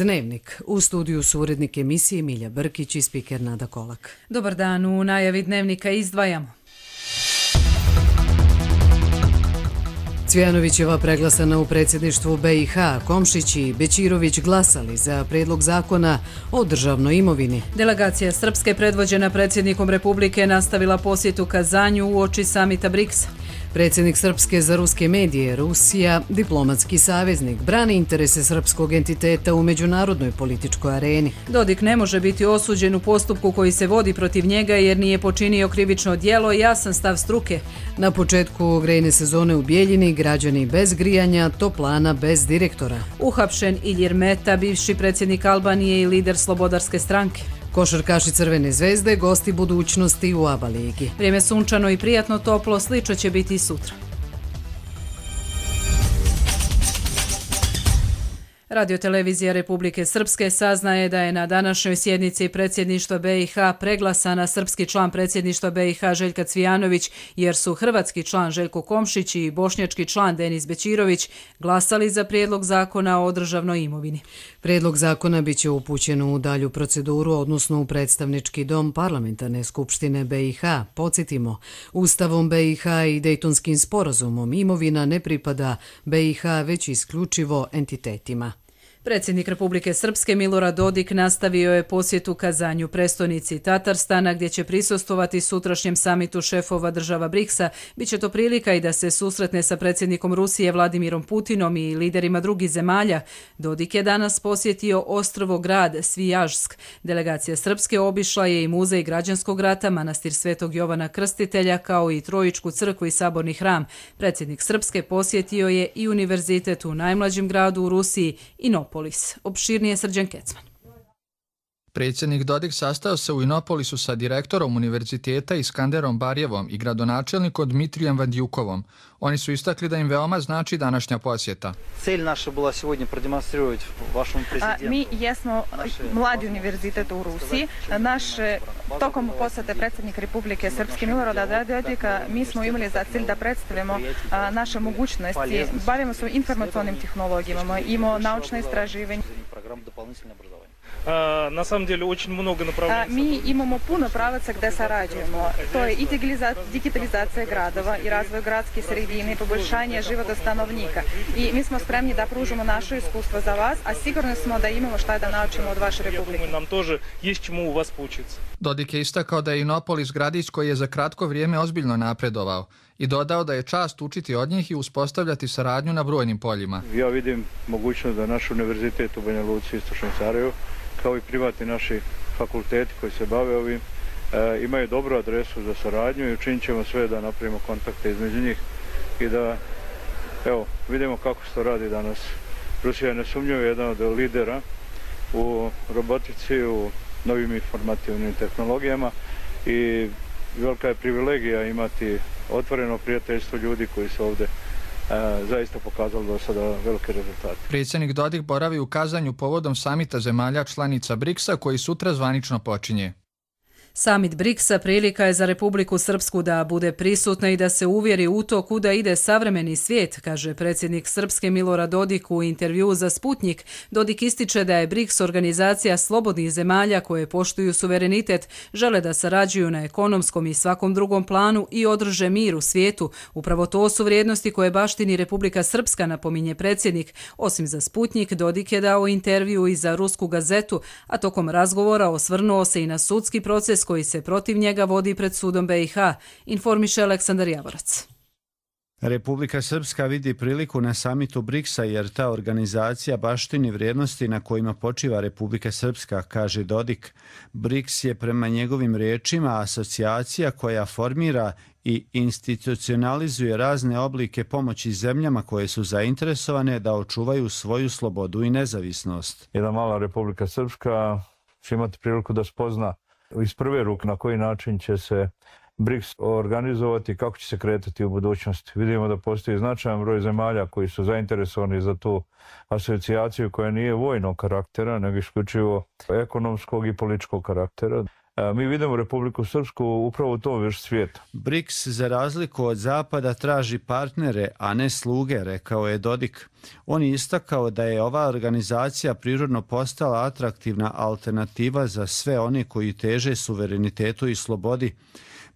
Dnevnik. U studiju su urednik emisije Milja Brkić i spiker Nada Kolak. Dobar dan, u najavi Dnevnika izdvajamo. Cvijanovićeva preglasana u predsjedništvu BiH, Komšić i Bećirović glasali za prijedlog zakona o državnoj imovini. Delegacija Srpske predvođena predsjednikom Republike nastavila posjetu Kazanju uoči samita BRICS-a. Predsjednik Srpske za ruske medije, Rusija, diplomatski saveznik, brani interese srpskog entiteta u međunarodnoj političkoj areni. Dodik ne može biti osuđen u postupku koji se vodi protiv njega jer nije počinio krivično djelo, jasan stav struke. Na početku grejne sezone u Bijeljini, građani bez grijanja, toplana bez direktora. Uhapšen Ilir Meta, bivši predsjednik Albanije i lider Slobodarske stranke. Košarkaši Crvene zvezde, gosti budućnosti u ABA ligi. Vrijeme sunčano i prijatno toplo, slično će biti i sutra. Radiotelevizija Republike Srpske saznaje da je na današnjoj sjednici predsjedništva BiH preglasana srpski član predsjedništva BiH Željka Cvijanović, jer su hrvatski član Željko Komšić i bošnjački član Denis Bećirović glasali za prijedlog zakona o državnoj imovini. Prijedlog zakona biće upućen u dalju proceduru, odnosno u predstavnički dom Parlamentarne skupštine BiH. Podsjetimo, Ustavom BiH i Dejtonskim sporazumom imovina ne pripada BiH već isključivo entitetima. Predsjednik Republike Srpske Milorad Dodik nastavio je posjetu Kazanju, prestonici Tatarstana, gdje će prisustvovati sutrašnjem samitu šefova država BRICS-a. Biće to prilika i da se susretne sa predsjednikom Rusije Vladimirom Putinom i liderima drugih zemalja. Dodik je danas posjetio ostrvo grad Svijažsk. Delegacija Srpske obišla je i muzej građanskog rata, manastir Svetog Jovana Krstitelja, kao i Trojičku crkvu i saborni hram. Predsjednik Srpske posjetio je i univerzitet u najmlađem gradu u Rusiji, Inopolis. Opširnije Srđan Kecman. Predsjednik Dodik sastao se u Inopolisu sa direktorom univerziteta Iskanderom Barjevom i gradonačelnikom Dmitrijem Vandjukovom. Oni su istakli da im veoma znači današnja posjeta. Cilj naša bila сегодня продемонстрировать вашему президенту. Mi jesmo mladi univerzitet u Rusiji. Tokom posjete predsjednik Republike Srpske Milorada Dodika mi smo imali za cilj da predstavimo naše mogućnosti. Bavimo se informacionim tehnologijama, imamo naučne istraživanje. На самом деле очень много направлений. Mi imamo puno pravaca gde sarađujemo. To je i digitalizacija gradova i razvoj gradskih sredine i poboljšanje života stanovnika. I mi smo spremni da pružimo naše iskustvo za vas, a sigurno smo da imamo šta da naučimo od vaše republike. Nam тоже есть чему у вас поучиться. Dodik je istakao da je Inopolis gradić koji je za kratko vrijeme ozbiljno napredovao i dodao da je čast učiti od njih i uspostavljati saradnju na brojnim poljima. Ja vidim mogućnost da naš univerzitet u Banja Luci, Istočnom Sarajevu, kao i privatni naši fakulteti koji se bave ovim, imaju dobru adresu za saradnju i učinit ćemo sve da napravimo kontakte između njih i da vidimo kako se to radi danas. Rusija je nesumnjivo jedan od lidera u robotici, u novim informativnim tehnologijama i velika je privilegija imati otvoreno prijateljstvo ljudi koji su ovdje zaista pokazali do sada velike rezultate. Predsjednik Dodik boravi u Kazanju povodom samita zemalja članica BRICS-a koji sutra zvanično počinje. Samit BRICS-a prilika je za Republiku Srpsku da bude prisutna i da se uvjeri u to kuda ide savremeni svijet, kaže predsjednik Srpske Milorad Dodik u intervjuu za Sputnik. Dodik ističe da je BRICS organizacija slobodnih zemalja koje poštuju suverenitet, žele da sarađuju na ekonomskom i svakom drugom planu i održe mir u svijetu. Upravo to su vrijednosti koje baštini Republika Srpska, napominje predsjednik. Osim za Sputnik, Dodik je dao intervju i za Rusku gazetu, a tokom razgovora osvrnuo se i na sudski proces koji se protiv njega vodi pred sudom BiH, informiše Aleksandar Javorac. Republika Srpska vidi priliku na samitu BRICS-a jer ta organizacija baštini vrijednosti na kojima počiva Republika Srpska, kaže Dodik. BRICS je prema njegovim riječima asocijacija koja formira i institucionalizuje razne oblike pomoći zemljama koje su zainteresovane da očuvaju svoju slobodu i nezavisnost. Jedna mala Republika Srpska će imati priliku da spozna iz prve ruke na koji način će se BRICS organizovati i kako će se kretati u budućnosti. Vidimo da postoji značajan broj zemalja koji su zainteresovani za tu asocijaciju koja nije vojnog karaktera, nego isključivo ekonomskog i političkog karaktera. Mi vidimo Republiku Srpsku upravo u tom već svijeta. BRICS za razliku od Zapada traži partnere, a ne sluge, rekao je Dodik. On je istakao da je ova organizacija prirodno postala atraktivna alternativa za sve one koji teže suverenitetu i slobodi.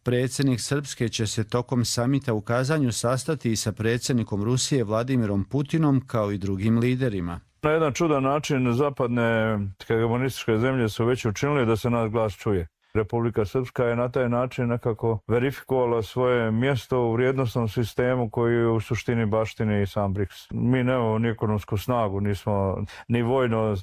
Predsjednik Srpske će se tokom samita u Kazanju sastati i sa predsjednikom Rusije Vladimirom Putinom kao i drugim liderima. Na jedan čudan način zapadne hegemonističke zemlje su već učinili da se naš glas čuje. Republika Srpska je na taj način nekako verifikovala svoje mjesto u vrijednosnom sistemu koji u suštini baštini i sam BRICS. Mi nemamo ni ekonomsku snagu, nismo ni vojno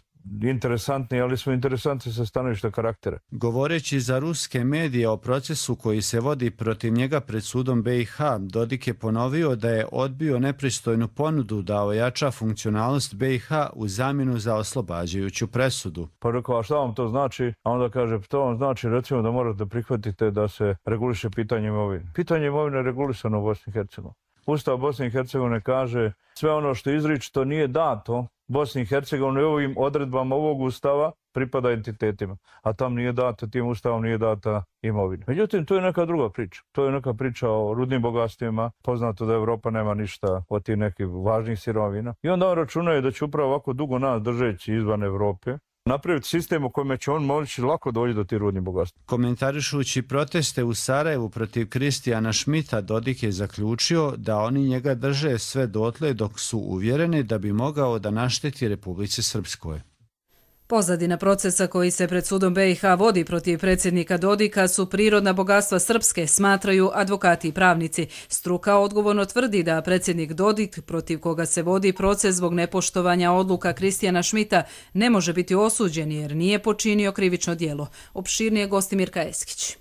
interesantni, ali smo interesantni sa stanovišta karaktera. Govoreći za ruske medije o procesu koji se vodi protiv njega pred sudom BiH, Dodik je ponovio da je odbio nepristojnu ponudu da ojača funkcionalnost BiH u zamjenu za oslobađajuću presudu. Pa rekao, a šta vam to znači? A onda kaže, to vam znači recimo da morate prihvatite da se reguliše pitanje imovine. Pitanje imovine je regulisano u Bosni i Hercegovini. Ustav Bosne i Hercegovine kaže sve ono što izričito nije dato Bosni i Hercegovini ovim odredbama ovog ustava pripada entitetima, a tam nije data, tim ustavom nije data imovina. Međutim, to je neka druga priča. To je neka priča o rudnim bogatstvima. Poznato da Evropa nema ništa od tih nekih važnih sirovina. I onda on računaju da će upravo ovako dugo nas držeći izvan Evrope napraviti sistem u kojem će on moći lako doći do tih rudnih bogatstva. Komentarišući proteste u Sarajevu protiv Kristijana Šmita, Dodik je zaključio da oni njega drže sve dotle dok su uvjereni da bi mogao da našteti Republici Srpskoj. Pozadina procesa koji se pred sudom BiH vodi protiv predsjednika Dodika su prirodna bogatstva Srpske, smatraju advokati i pravnici. Struka odgovorno tvrdi da predsjednik Dodik, protiv koga se vodi proces zbog nepoštovanja odluka Kristijana Šmita, ne može biti osuđen jer nije počinio krivično djelo. Opširnije gosti Mirka Eskić.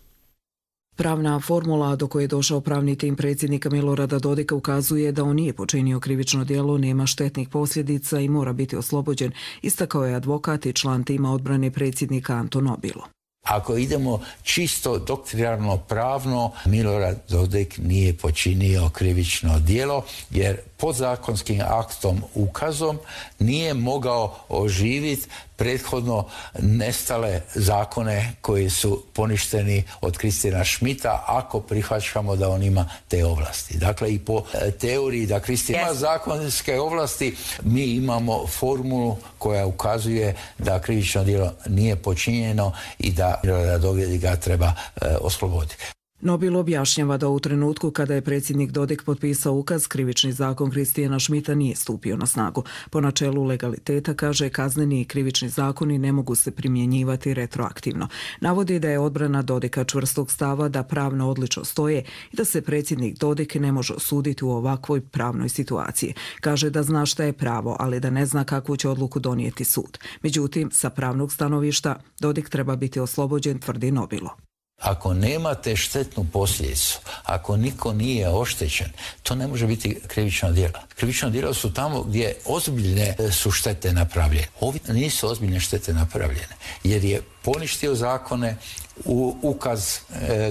Pravna formula do koje je došao pravni tim predsjednika Milorada Dodika ukazuje da on nije počinio krivično djelo, nema štetnih posljedica i mora biti oslobođen, istakao je advokat i član tima odbrane predsjednika Anton Nobilo. Ako idemo čisto doktrinarno pravno, Milorad Dodik nije počinio krivično djelo jer podzakonskim aktom ukazom nije mogao oživiti prethodno nestale zakone koji su poništeni od Kristijana Šmita ako prihvaćamo da on ima te ovlasti. Dakle, i po teoriji da Kristijan ima zakonske ovlasti, mi imamo formulu koja ukazuje da krivično djelo nije počinjeno i da Milorada Dodika treba osloboditi. Nobilo objašnjava da u trenutku kada je predsjednik Dodik potpisao ukaz, krivični zakon Kristijana Šmita nije stupio na snagu. Po načelu legaliteta, kaže, kazneni i krivični zakoni ne mogu se primjenjivati retroaktivno. Navodi da je odbrana Dodika čvrstog stava da pravno odlično stoje i da se predsjednik Dodik ne može osuditi u ovakvoj pravnoj situaciji. Kaže da zna šta je pravo, ali da ne zna kakvu će odluku donijeti sud. Međutim, sa pravnog stanovišta Dodik treba biti oslobođen, tvrdi Nobilo. Ako nemate štetnu posljedicu, ako niko nije oštećen, to ne može biti krivično djelo. Krivično djelo su tamo gdje ozbiljne su štete napravljene. Ovi nisu ozbiljne štete napravljene, jer je poništio zakone, ukaz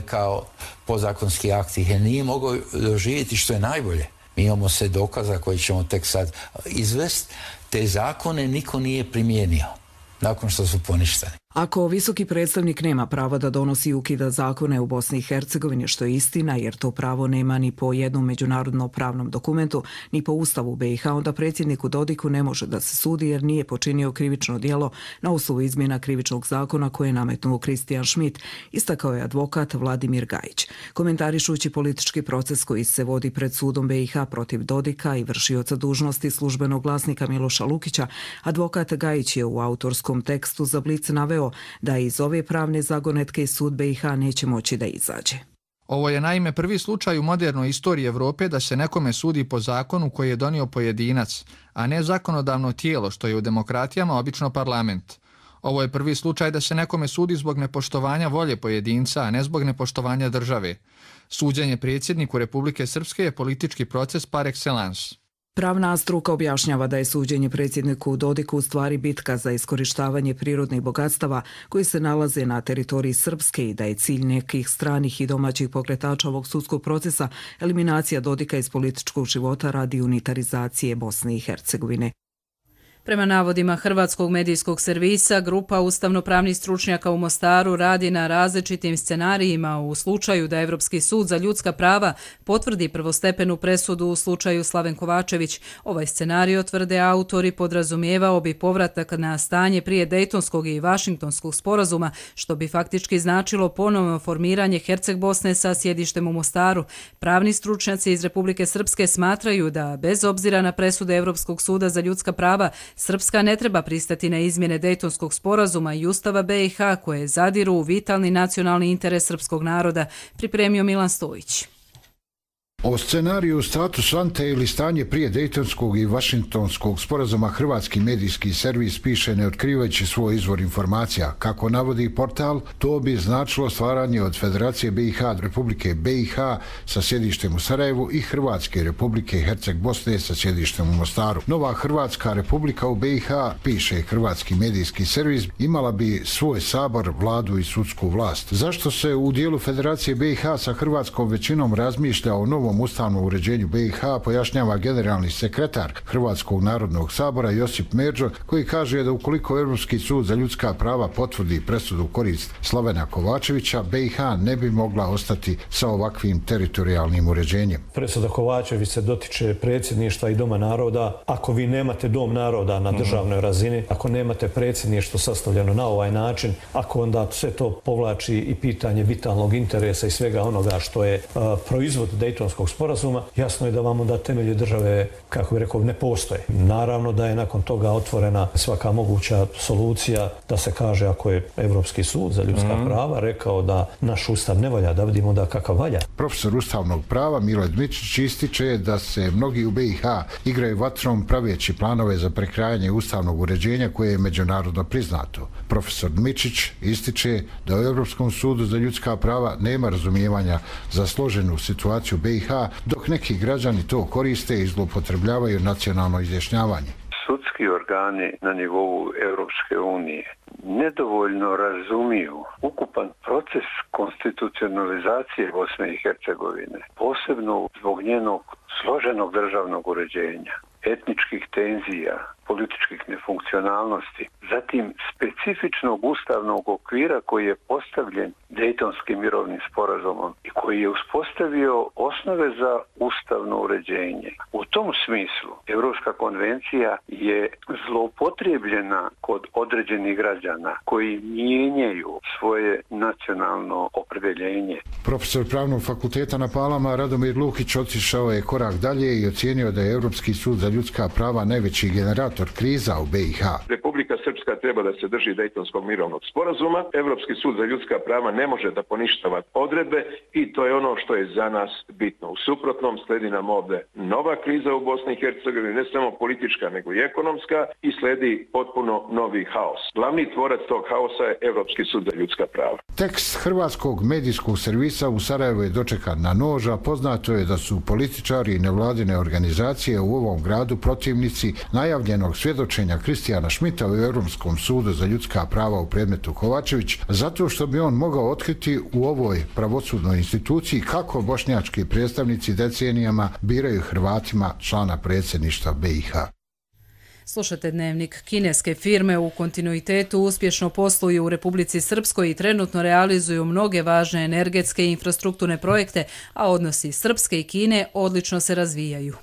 kao podzakonski akt ih nije mogao doživjeti, što je najbolje. Mi imamo sve dokaza koji ćemo tek sad izvesti. Te zakone niko nije primijenio nakon što su poništeni. Ako visoki predstavnik nema pravo da donosi i ukida zakone u Bosni i Hercegovini, što je istina, jer to pravo nema ni po jednom međunarodnom pravnom dokumentu, ni po Ustavu BiH, onda predsjedniku Dodiku ne može da se sudi jer nije počinio krivično djelo na osnovu izmjena krivičnog zakona koje je nametnuo Kristijan Šmit, istakao je advokat Vladimir Gajić. Komentarišući politički proces koji se vodi pred sudom BiH protiv Dodika i vršioca dužnosti službenog glasnika Miloša Lukića, advokat Gajić je u autorskom tekstu za Blic naveo da iz ove pravne zagonetke sud BiH neće moći da izađe. Ovo je naime prvi slučaj u modernoj istoriji Evrope da se nekome sudi po zakonu koji je donio pojedinac, a ne zakonodavno tijelo, što je u demokratijama obično parlament. Ovo je prvi slučaj da se nekome sudi zbog nepoštovanja volje pojedinca, a ne zbog nepoštovanja države. Suđenje predsjedniku Republike Srpske je politički proces par excellence. Pravna struka objašnjava da je suđenje predsjedniku Dodiku u stvari bitka za iskorištavanje prirodnih bogatstava koji se nalaze na teritoriji Srpske i da je cilj nekih stranih i domaćih pokretača ovog sudskog procesa eliminacija Dodika iz političkog života radi unitarizacije Bosne i Hercegovine. Prema navodima hrvatskog medijskog servisa, grupa ustavnopravnih stručnjaka u Mostaru radi na različitim scenarijima u slučaju da Europski sud za ljudska prava potvrdi prvostepenu presudu u slučaju Slaven Kovačević. Ovaj scenarij, tvrde autori, podrazumijevao bi povratak na stanje prije Dejtonskog i Vašingtonskog sporazuma, što bi faktički značilo ponovno formiranje Herceg Bosne sa sjedištem u Mostaru. Pravni stručnjaci iz Republike Srpske smatraju da, bez obzira na presude Europskog suda za ljudska prava, Srpska ne treba pristati na izmjene Dejtonskog sporazuma i Ustava BiH koje zadiru u vitalni nacionalni interes srpskog naroda, pripremio Milan Stojić. O scenariju status ante ili stanje prije Dejtonskog i Vašingtonskog sporazuma hrvatski medijski servis piše ne otkrivajući svoj izvor informacija. Kako navodi portal, to bi značilo stvaranje od Federacije BiH Republike BiH sa sjedištem u Sarajevu i Hrvatske Republike Herceg Bosne sa sjedištem u Mostaru. Nova Hrvatska Republika u BiH, piše hrvatski medijski servis, imala bi svoj sabor, vladu i sudsku vlast. Zašto se u dijelu Federacije BiH sa hrvatskom većinom razmišlja o novom ustavnom uređenju BiH, pojašnjava generalni sekretar Hrvatskog narodnog sabora Josip Međo, koji kaže da ukoliko Europski sud za ljudska prava potvrdi presudu u korist Slavena Kovačevića, BiH ne bi mogla ostati sa ovakvim teritorijalnim uređenjem. Presuda Kovačević se dotiče predsjedništva i Doma naroda. Ako vi nemate Dom naroda na državnoj razini, ako nemate predsjedništvo sastavljeno na ovaj način, ako onda sve to povlači i pitanje vitalnog interesa i svega onoga što je proizvod Dejtonskog sporazuma, jasno je da vam onda temelje države, kako bih rekao, ne postoje. Naravno da je nakon toga otvorena svaka moguća solucija da se kaže ako je Europski sud za ljudska prava rekao da naš ustav ne valja, da vidimo da kakav valja. Profesor ustavnog prava Mile Dmičić ističe da se mnogi u BiH igraju vatrom praveći planove za prekrajanje ustavnog uređenja koje je međunarodno priznato. Profesor Dmičić ističe da u Europskom sudu za ljudska prava nema razumijevanja za složenu situaciju BiH, dok neki građani to koriste i zloupotrebljavaju nacionalno izjašnjavanje. Sudski organi na nivou Europske unije nedovoljno razumiju ukupan proces konstitucionalizacije Bosne i Hercegovine, posebno zbog njenog složenog državnog uređenja, etničkih tenzija, političkih nefunkcionalnosti, zatim specifičnog ustavnog okvira koji je postavljen Dejtonskim mirovnim sporazumom i koji je uspostavio osnove za ustavno uređenje. U tom smislu Europska konvencija je zloupotrijebljena kod određenih građana koji mijenjaju svoje nacionalno opredjeljenje. Profesor Pravnog fakulteta na Palama Radomir Lukić otišao je korak dalje i ocijenio da je Europski sud za ljudska prava najveći generator kriza u BiH. Republika Srpska treba da se drži Dejtonskog mirovnog sporazuma. Europski sud za ljudska prava ne može da poništava odredbe i to je ono što je za nas bitno. U suprotnom sledi nam ovde nova kriza u Bosni i Hercegovini, ne samo politička nego i ekonomska, i sledi potpuno novi haos. Glavni tvorac tog haosa je Europski sud za ljudska prava. Tekst hrvatskog medijskog servisa u Sarajevu je dočekan na nož, a poznato je da su političari i nevladine organizacije u ovom gradu protivnici najavljenog svjedočenja Kristijana Šmita u Europskom sudu za ljudska prava u predmetu Kovačević, zato što bi on mogao otkriti u ovoj pravosudnoj instituciji kako bošnjački predstavnici decenijama biraju Hrvatima člana predsjedništva BiH. Slušate Dnevnik. Kineske firme u kontinuitetu uspješno posluju u Republici Srpskoj i trenutno realizuju mnoge važne energetske i infrastrukturne projekte, a odnosi Srpske i Kine odlično se razvijaju.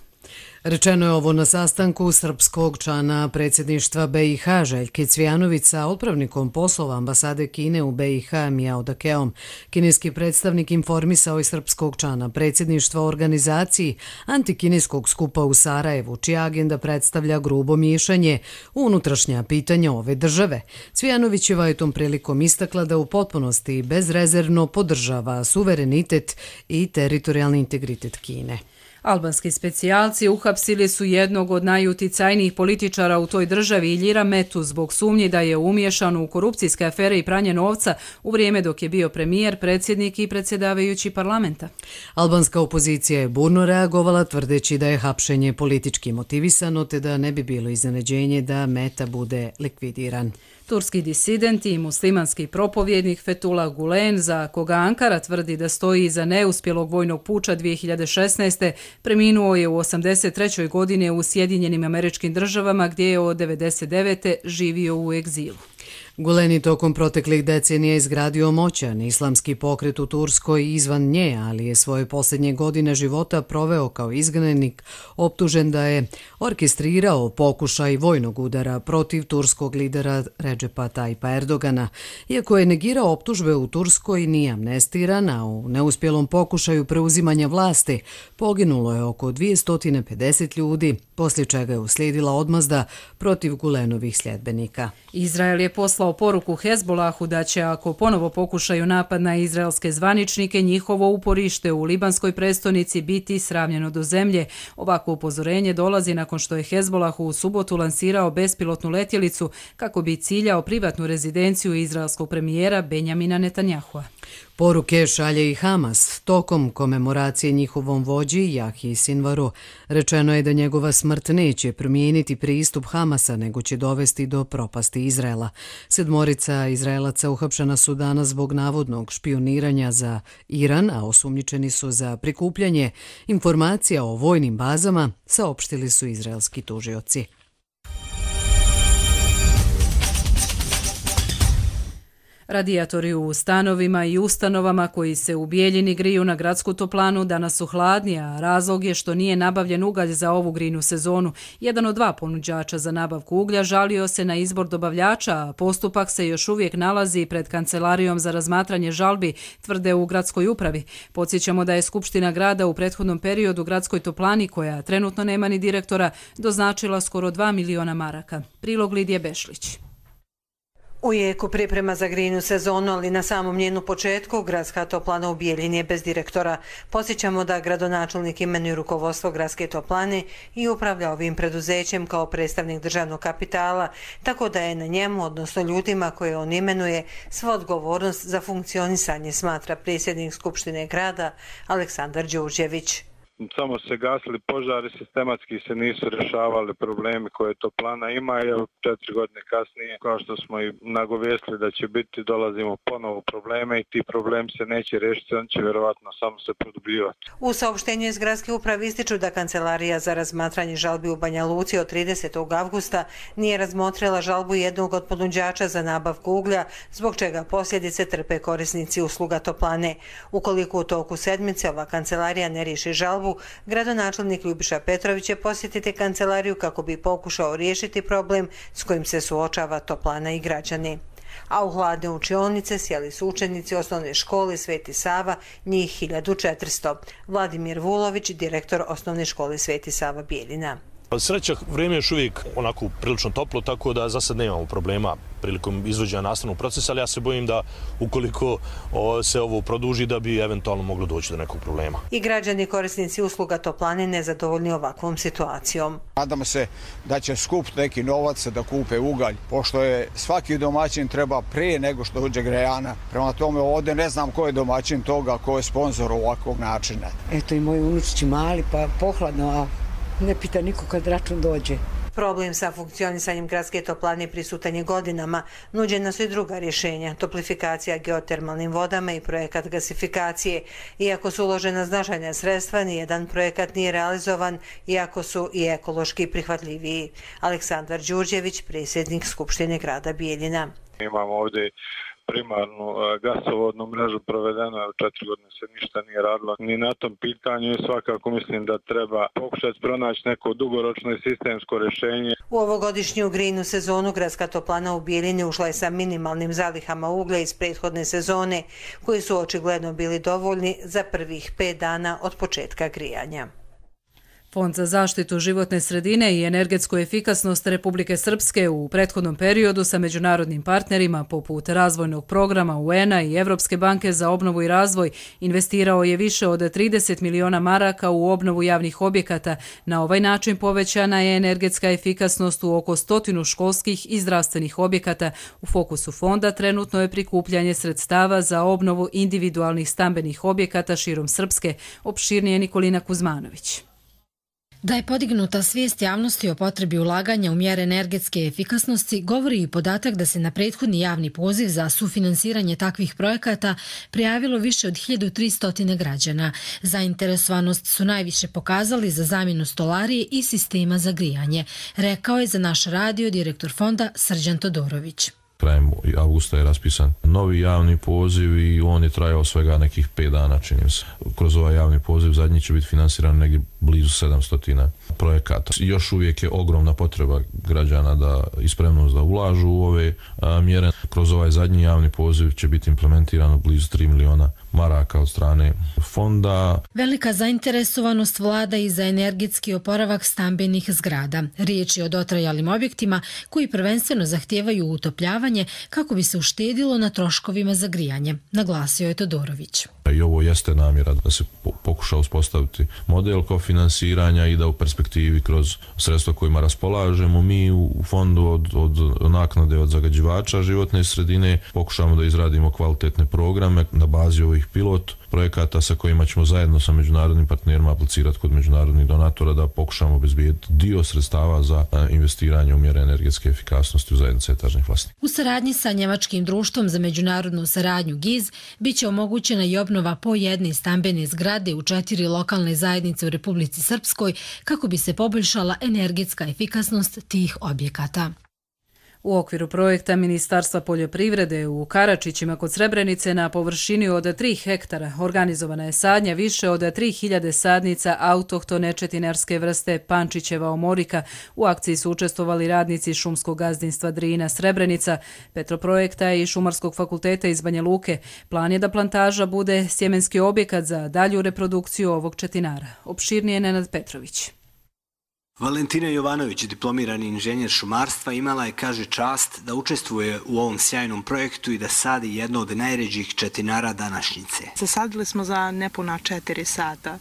Rečeno je ovo na sastanku srpskog člana predsjedništva BiH Željke Cvijanović sa otpravnikom poslova ambasade Kine u BiH Miao Dakeom. Kineski predstavnik informisao je srpskog člana predsjedništva o organizaciji antikineskog skupa u Sarajevu, čija agenda predstavlja grubo miješanje u unutrašnja pitanja ove države. Cvijanovićeva je tom prilikom istakla da u potpunosti i bezrezervno podržava suverenitet i teritorijalni integritet Kine. Albanski specijalci uhapsili su jednog od najuticajnijih političara u toj državi, Iljira Metu, zbog sumnji da je umiješan u korupcijske afere i pranje novca u vrijeme dok je bio premijer, predsjednik i predsjedavajući parlamenta. Albanska opozicija je burno reagovala tvrdeći da je hapšenje politički motivisano te da ne bi bilo iznenađenje da Meta bude likvidiran. Turski disident i muslimanski propovjednik Fethullah Gulen, za koga Ankara tvrdi da stoji iza neuspjelog vojnog puča 2016. preminuo je u 83. godini u Sjedinjenim Američkim Državama, gdje je od 99. živio u egzilu. Gulen je tokom proteklih decenija izgradio moćan islamski pokret u Turskoj i izvan nje, ali je svoje posljednje godine života proveo kao izgnanik, optužen da je orkestrirao pokušaj vojnog udara protiv turskog lidera Recepa Tayyipa Erdogana. Iako je negirao optužbe, u Turskoj nije amnestiran, a u neuspjelom pokušaju preuzimanja vlasti poginulo je oko 250 ljudi, poslije čega je uslijedila odmazda protiv Gulenovih sljedbenika. Izrael je poslao poruku Hezbolahu da će, ako ponovo pokušaju napad na izraelske zvaničnike, njihovo uporište u libanskoj prestonici biti sravnjeno do zemlje. Ovako upozorenje dolazi nakon što je Hezbolah u subotu lansirao bespilotnu letjelicu kako bi ciljao privatnu rezidenciju izraelskog premijera Benjamina Netanyahua. Poruke šalje i Hamas. Tokom komemoracije njihovom vođi Jahji Sinvaru rečeno je da njegova smrt neće promijeniti pristup Hamasa, nego će dovesti do propasti Izraela. 7 Izraelaca uhapšena su danas zbog navodnog špioniranja za Iran, a osumnjičeni su za prikupljanje informacija o vojnim bazama, saopštili su izraelski tužioci. Radijatori u stanovima i ustanovama koji se u Bijeljini griju na gradsku toplanu danas su hladni, a razlog je što nije nabavljen ugalj za ovu grijnu sezonu. Jedan od 2 ponuđača za nabavku uglja žalio se na izbor dobavljača, a postupak se još uvijek nalazi pred Kancelarijom za razmatranje žalbi, tvrde u gradskoj upravi. Podsjećamo da je Skupština grada u prethodnom periodu gradskoj toplani, koja trenutno nema ni direktora, doznačila skoro 2 miliona maraka. Prilog Lidije Bešlić. U jeku priprema za grijnu sezonu, ali na samom njenu početku, gradska toplana u Bijeljini je bez direktora. Podsjećamo da gradonačelnik imenuje rukovodstvo gradske toplane i upravlja ovim preduzećem kao predstavnik državnog kapitala, tako da je na njemu, odnosno ljudima koje on imenuje, sva odgovornost za funkcionisanje, smatra predsjednik Skupštine grada Aleksandar Đurđević. Samo se gasili požari, sistematski se nisu rješavali problemi koje toplana ima, jer 4 godine kasnije, kao što smo i nagovijestili da će biti, dolazimo ponovo probleme i ti problemi se neće riješiti, on će vjerovatno samo se produbljivati. U saopštenju iz gradske uprave ističu da Kancelarija za razmatranje žalbi u Banja Luci od 30. avgusta nije razmotrila žalbu jednog od ponuđača za nabavku uglja, zbog čega posljedice trpe korisnici usluga toplane. Ukoliko u toku sedmice ova kancelarija ne riješi žalbu, gradonačelnik Ljubiša Petrović će posjetiti kancelariju kako bi pokušao riješiti problem s kojim se suočava toplana i građani. A u hladne učionice sjeli su učenici osnovne škole Sveti Sava, njih 1400. Vladimir Vulović, direktor osnovne škole Sveti Sava Bijeljina. Sreća, vrijeme je još uvijek onako prilično toplo, tako da za sad nemamo problema prilikom izvođenja nastavnog procesa, ali ja se bojim da ukoliko se ovo produži da bi eventualno moglo doći do nekog problema. I građani korisnici usluga toplane nezadovoljni ovakvom situacijom. Nadamo se da će skupiti neki novac da kupe ugalj, pošto je svaki domaćin treba prije nego što dođe grejana. Prema tome ovdje ne znam ko je domaćin toga, ko je sponsor ovakvog načina. Eto i moji unučići mali, pa pohladno, a ne pita niko kad račun dođe. Problem sa funkcionisanjem gradske toplane prisutan je godinama. Nuđena su i druga rješenja, toplifikacija geotermalnim vodama i projekat gasifikacije. Iako su uložena značajna sredstva, nijedan projekat nije realizovan, iako su i ekološki prihvatljiviji. Aleksandar Đurđević, predsjednik Skupštine grada Bijeljina. Imamo ovdje primarnu gasovodnu mrežu, provedeno je 4 godine se ništa nije radilo ni na tom pitanju i svakako mislim da treba pokušati pronaći neko dugoročno i sistemsko rješenje. U ovogodišnju grijnu sezonu gradska toplana u Bijeljini ušla je sa minimalnim zalihama uglja iz prethodne sezone, koji su očigledno bili dovoljni za prvih 5 dana od početka grijanja. Fond za zaštitu životne sredine i energetsku efikasnost Republike Srpske u prethodnom periodu sa međunarodnim partnerima poput razvojnog programa UN-a i Evropske banke za obnovu i razvoj investirao je više od 30 miliona maraka u obnovu javnih objekata. Na ovaj način povećana je energetska efikasnost u oko 100 školskih i zdravstvenih objekata. U fokusu fonda trenutno je prikupljanje sredstava za obnovu individualnih stambenih objekata širom Srpske, opširnije Nikolina Kuzmanović. Da je podignuta svijest javnosti o potrebi ulaganja u mjere energetske efikasnosti govori i podatak da se na prethodni javni poziv za sufinansiranje takvih projekata prijavilo više od 1300 građana. Zainteresovanost su najviše pokazali za zamjenu stolarije i sistema za grijanje, rekao je za naš radio direktor fonda Srđan Todorović. Krajem avgusta je raspisan novi javni poziv i on je trajao svega nekih 5 dana, činim se. Kroz ovaj javni poziv zadnji će biti finansiran negdje blizu 700 projekata. Još uvijek je ogromna potreba građana da i spremnost da ulažu u ove mjere. Kroz ovaj zadnji javni poziv će biti implementirano blizu 3 miliona maraka od strane fonda. Velika zainteresovanost vlada i za energetski oporavak stambenih zgrada. Riječ je o dotrajalim objektima koji prvenstveno zahtijevaju utopljavanje kako bi se uštedilo na troškovima za grijanje, naglasio je Todorović. I ovo jeste namjera da se pokuša uspostaviti model kofinansiranja i da u perspektivi kroz sredstva kojima raspolažemo mi u fondu od naknade od zagađivača životne sredine pokušamo da izradimo kvalitetne programe na bazi ovih pilot projekata sa kojima ćemo zajedno sa međunarodnim partnerima aplicirati kod međunarodnih donatora da pokušamo obezbijediti dio sredstava za investiranje u mjere energetske efikasnosti u zajednici etažnih vlasnika. U saradnji sa Njemačkim društvom za međunarodnu saradnju GIZ biće omogućena i obnova po jedne stambene zgrade u 4 lokalne zajednice u Republici Srpskoj kako bi se poboljšala energetska efikasnost tih objekata. U okviru projekta Ministarstva poljoprivrede u Karačićima kod Srebrenice na površini od 3 hektara organizovana je sadnja više od 3000 sadnica autohtone četinarske vrste Pančićeva omorika. U akciji su učestvovali radnici šumskog gazdinstva Drina Srebrenica, Petroprojekta i Šumarskog fakulteta iz Banja Luke. Plan je da plantaža bude sjemenski objekat za dalju reprodukciju ovog četinara. Opširnije Nenad Petrović. Valentina Jovanović, diplomirani inženjer šumarstva, imala je, kaže, čast da učestvuje u ovom sjajnom projektu i da sadi jedno od najređih četinara današnjice. Zasadili smo za nepuna 4 sata,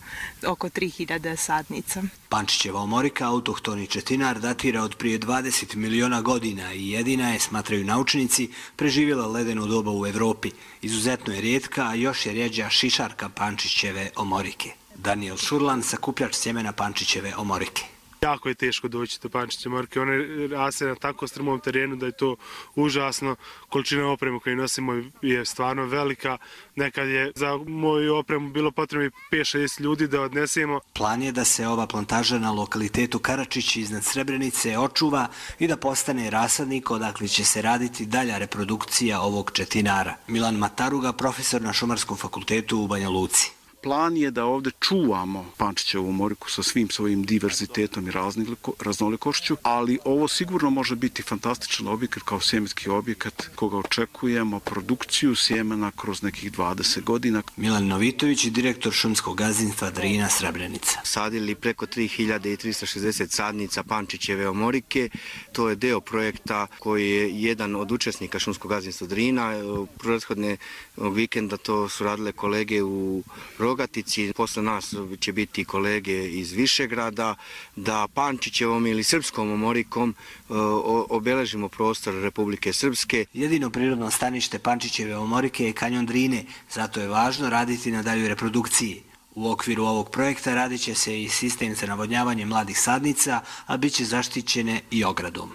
oko 3000 sadnica. Pančićeva omorika, autohtoni četinar, datira od prije 20 miliona godina i jedina je, smatraju naučnici, preživjela ledeno doba u Evropi. Izuzetno je rijetka, a još je rjeđa šišarka Pančićeve omorike. Daniel Šurlan, sakupljač sjemena Pančićeve omorike. Jako je teško doći do Pančićeve omorike, one raste na tako strmom terenu da je to užasno. Količina opreme koju nosimo je stvarno velika. Nekad je za moju opremu bilo potrebno 5-6 ljudi da odnesemo. Plan je da se ova plantaža na lokalitetu Karačić iznad Srebrenice očuva i da postane rasadnik odakle će se raditi dalja reprodukcija ovog četinara. Milan Mataruga, profesor na Šumarskom fakultetu u Banja Luci. Plan je da ovdje čuvamo Pančićevu omoriku sa svim svojim diverzitetom i raznolikošću, ali ovo sigurno može biti fantastičan objekat kao sjemenski objekat koga očekujemo produkciju sjemena kroz nekih 20 godina. Milan Novitović, direktor šumskog gazdinstva Drina Srebrenica. Sadili preko 3360 sadnica Pančićeve omorike. To je deo projekta koji je jedan od učesnika šumskog gazdinstva Drina. Prethodne vikenda to su radile kolege u Rogatici, posle nas će biti kolege iz Višegrada, da Pančićevom ili srpskom omorikom obeležimo prostor Republike Srpske. Jedino prirodno stanište Pančićeve omorike je kanjon Drine, zato je važno raditi na daljoj reprodukciji. U okviru ovog projekta radit će se i sistem za navodnjavanje mladih sadnica, a bit će zaštićene i ogradom.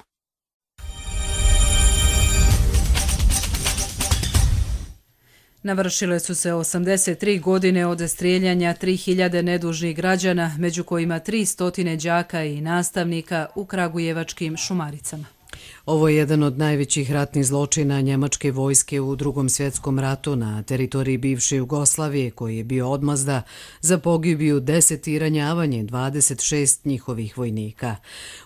Navršile su se 83 godine od strijeljanja 3000 nedužnih građana, među kojima 300 đaka i nastavnika u kragujevačkim Šumaricama. Ovo je jedan od najvećih ratnih zločina njemačke vojske u Drugom svjetskom ratu na teritoriji bivše Jugoslavije, koji je bio odmazda za pogibiju 10 i ranjavanje 26 njihovih vojnika.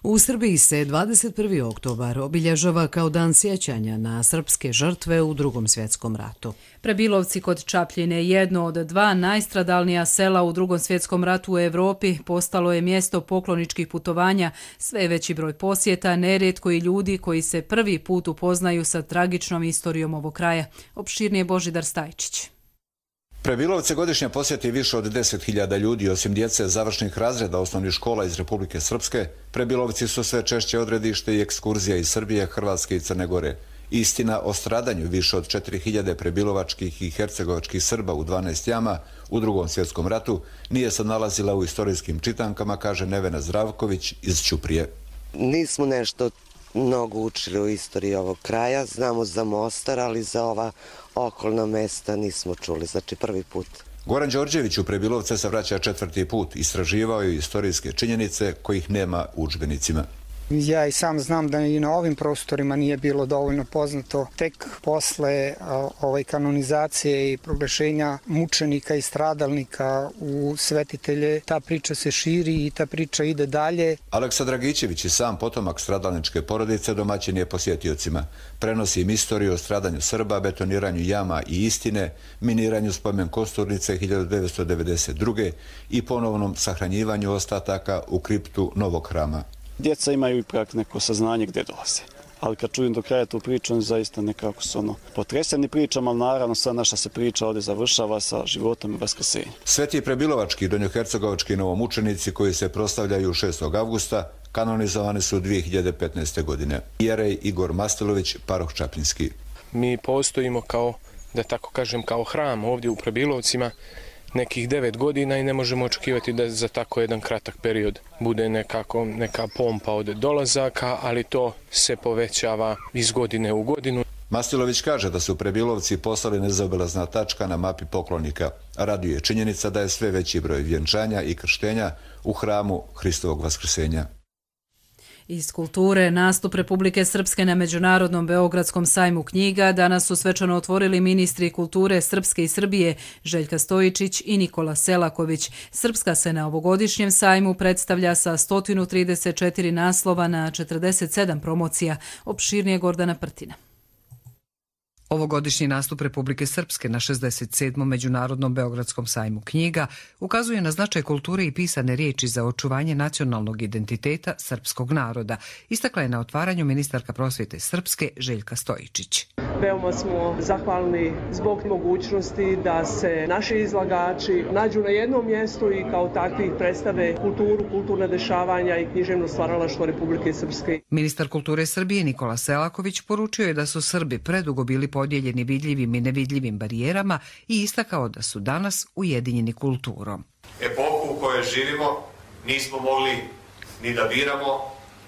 U Srbiji se 21. oktobar obilježava kao dan sjećanja na srpske žrtve u Drugom svjetskom ratu. Prebilovci kod Čapljine, jedno od 2 najstradalnija sela u Drugom svjetskom ratu u Evropi, postalo je mjesto pokloničkih putovanja, sve veći broj posjeta, nerijetko i ljudi koji se prvi put upoznaju sa tragičnom istorijom ovog kraja. Opširnije Božidar Stajčić. Prebilovce godišnje posjeti više od 10.000 ljudi, osim djece završnih razreda osnovnih škola iz Republike Srpske. Prebilovci su sve češće odredište i ekskurzija iz Srbije, Hrvatske i Crne Gore. Istina o stradanju više od 4000 prebilovačkih i hercegovačkih Srba u 12 jama u Drugom svjetskom ratu nije se nalazila u istorijskim čitankama, kaže Nevena Zdravković iz Ćuprije. Nismo nešto mnogo učili o istoriji ovog kraja, znamo za Mostar, ali za ova okolna mesta nismo čuli, znači prvi put. Goran Đorđević u Prebilovce se vraća 4. put, istraživao je istorijske činjenice kojih nema u udžbenicima. Ja i sam znam da i na ovim prostorima nije bilo dovoljno poznato. Tek posle kanonizacije i proglašenja mučenika i stradalnika u svetitelje, ta priča se širi i ta priča ide dalje. Aleksa Dragićević i sam potomak stradalničke porodice domaćin je posjetiocima. Prenosi im istoriju o stradanju Srba, betoniranju jama i istine, miniranju spomen Kosturnice 1992. i ponovnom sahranjivanju ostataka u kriptu Novog hrama. Djeca imaju ipak neko saznanje gdje dolaze. Ali kad čujem do kraja tu priču, oni zaista nekako su potreseni pričama, ali naravno sva naša se priča ovdje završava sa životom i vaskrsenjem. Sveti prebilovački i donjohercegovački novomučenici koji se proslavljaju 6. avgusta kanonizovani su 2015. godine. Jerej Igor Mastelović, paroh Čapljinski. Mi postojimo kao, da tako kažem, kao hram ovdje u Prebilovcima nekih 9 godina i ne možemo očekivati da za tako jedan kratak period bude neka pompa od dolazaka, ali to se povećava iz godine u godinu. Mastilović kaže da su Prebilovci postali nezaobilazna tačka na mapi poklonika. Raduje činjenica da je sve veći broj vjenčanja i krštenja u hramu Hristovog vaskrsenja. Iz kulture, nastup Republike Srpske na Međunarodnom Beogradskom sajmu knjiga danas su svečano otvorili ministri kulture Srpske i Srbije Željka Stojičić i Nikola Selaković. Srpska se na ovogodišnjem sajmu predstavlja sa 134 naslova na 47 promocija. Opširnije Gordana Prtina. Ovogodišnji nastup Republike Srpske na 67. Međunarodnom Beogradskom sajmu knjiga ukazuje na značaj kulture i pisane riječi za očuvanje nacionalnog identiteta srpskog naroda, istakla je na otvaranju ministarka prosvjete Srpske Željka Stojičić. Veoma smo zahvalni zbog mogućnosti da se naši izlagači nađu na jednom mjestu i kao takvi predstave kulturu, kulturna dešavanja i književno stvaralaštvo Republike Srpske. Ministar kulture Srbije Nikola Selaković poručio je da su Srbi predugo bili podijeljeni vidljivim i nevidljivim barijerama i istakao da su danas ujedinjeni kulturom. Epohu u kojoj živimo nismo mogli ni da biramo,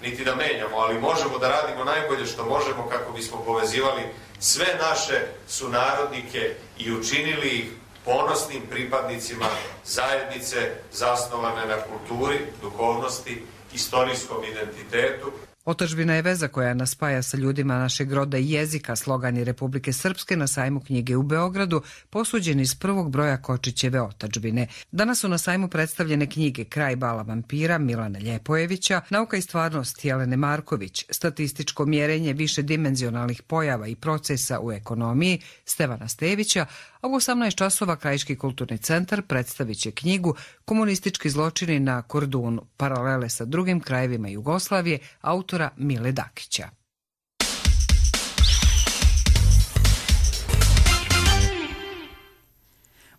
niti da menjamo, ali možemo da radimo najbolje što možemo kako bismo povezivali sve naše sunarodnike i učinili ih ponosnim pripadnicima zajednice zasnovane na kulturi, duhovnosti, istorijskom identitetu. Otadžbina je veza koja nas spaja sa ljudima našeg roda i jezika, slogani Republike Srpske na sajmu knjige u Beogradu, posuđen iz prvog broja Kočićeve otadžbine. Danas su na sajmu predstavljene knjige Kraj bala vampira Milana Ljepojevića, Nauka i stvarnost Jelene Marković, Statističko mjerenje višedimenzionalnih pojava i procesa u ekonomiji Stevana Stevića, a u 18 časova Krajiški kulturni centar predstavit će knjigu Komunistički zločini na Kordunu, paralele sa drugim krajevima Jugoslavije, autora Mile Dakića.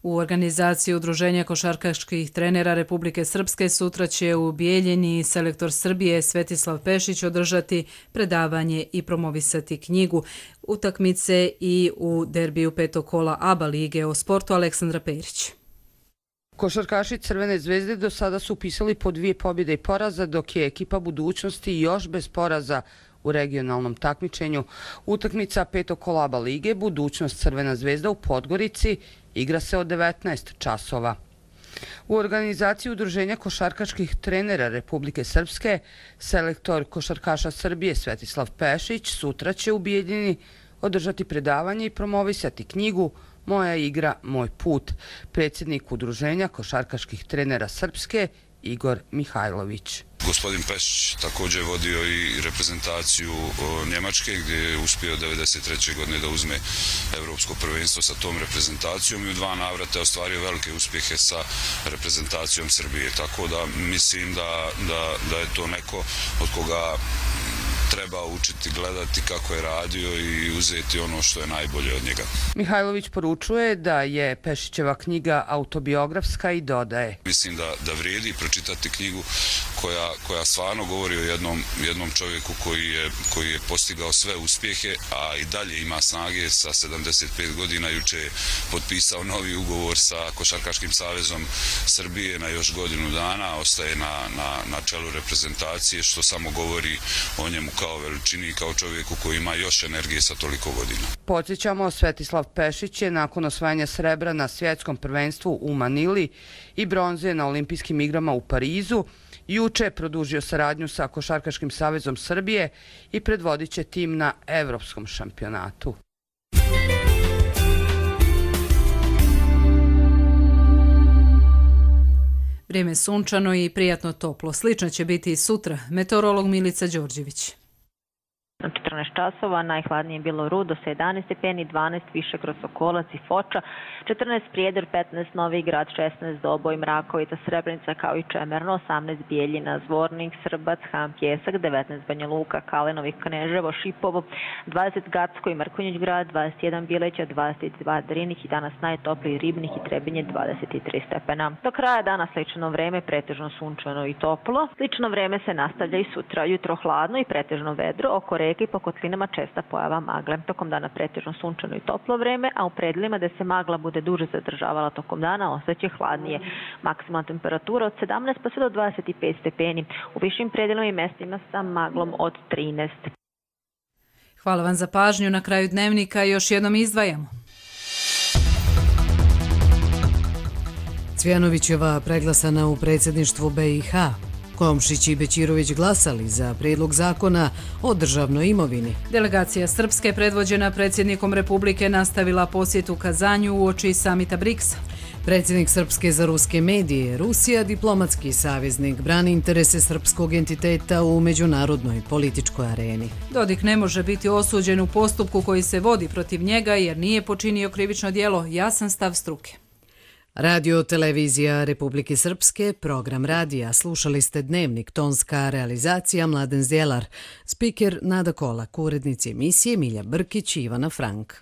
U organizaciji Udruženja košarkaških trenera Republike Srpske sutra će u Bijeljini selektor Srbije Svetislav Pešić održati predavanje i promovisati knjigu utakmice i u derbiju petog kola ABA lige. O sportu Aleksandra Perić. Košarkaši Crvene zvezde do sada su upisali po 2 pobjede i poraza, dok je ekipa budućnosti još bez poraza u regionalnom takmičenju. Utakmica petog kola ABA lige budućnost Crvena zvezda u Podgorici igra se od 19 časova. U organizaciji Udruženja košarkaških trenera Republike Srpske selektor košarkaša Srbije Svetislav Pešić sutra će u Bijeljini održati predavanje i promovisati knjigu Moja igra, moj put. Predsjednik Udruženja košarkaških trenera Srpske Igor Mihajlović. Gospodin Pešić također je vodio i reprezentaciju Njemačke gdje je uspio 1993. godine da uzme evropsko prvenstvo sa tom reprezentacijom i u 2 navrata je ostvario velike uspjehe sa reprezentacijom Srbije. Tako da mislim da je to neko od koga treba učiti, gledati kako je radio i uzeti ono što je najbolje od njega. Mihajlović poručuje da je Pešićeva knjiga autobiografska i dodaje. Mislim da vrijedi pročitati knjigu koja stvarno govori o jednom čovjeku koji je postigao sve uspjehe, a i dalje ima snage. Sa 75 godina juče je potpisao novi ugovor sa Košarkaškim savezom Srbije na još godinu dana, ostaje na čelu reprezentacije, što samo govori o njemu kao veličini i kao čovjeku koji ima još energije sa toliko godina. Podsjećamo, Svetislav Pešić je nakon osvajanja srebra na svjetskom prvenstvu u Manili i bronze na olimpijskim igrama u Parizu juče produžio saradnju sa Košarkaškim savezom Srbije i predvodit će tim na evropskom šampionatu. Vrijeme sunčano i prijatno toplo. Slično će biti i sutra. Meteorolog Milica Đorđević. 14 časova, najhladnije je bilo Rudo sa 11 stepeni, 12 Višegrad, Sokolac i Foča, 14 Prijedor, 15 Novi Grad, 16 Doboj, Mrakovica, Srebrenica kao i Čemerno, 18 Bijeljina, Zvornik, Srbac, Ham, Pjesak, 19 Banja Luka, Kalenovi, Kneževo, Šipovo, 20 Gacko i Mrkonjić Grad, 21 Bileća, 22 Drinih i danas najtopliji Ribnik i Trebinje 23 stepena. Do kraja dana slično vreme, pretežno sunčano i toplo. Slično vreme se nastavlja i sutra, jutro hladno i pretežno vedro, oko reke i po kotlinama česta pojava magle. Tokom dana pretežno sunčano i toplo vreme, a u predelima gde se magla bude duže zadržavala tokom dana ostaće hladnije. Maksimalna temperatura od 17 pa sve do 25 stepeni. U višim predelima i mestima sa maglom od 13. Hvala vam za pažnju. Na kraju dnevnika još jednom izdvajamo. Cvjanovićeva preglasana u predsjedništvu BiH. Komšić i Bećirović glasali za prijedlog zakona o državnoj imovini. Delegacija Srpske predvođena predsjednikom Republike nastavila posjetu Kazanju uoči samita BRICS-a. Predsjednik Srpske za ruske medije, Rusija diplomatski saveznik, brani interese srpskog entiteta u međunarodnoj političkoj areni. Dodik ne može biti osuđen u postupku koji se vodi protiv njega jer nije počinio krivično djelo, jasan stav struke. Radio televizija Republike Srpske, program radija. Slušali ste Dnevnik, tonska realizacija Mladen Zdjelar, spiker Nada Kolak, urednici emisije Milja Brkić i Ivana Frank.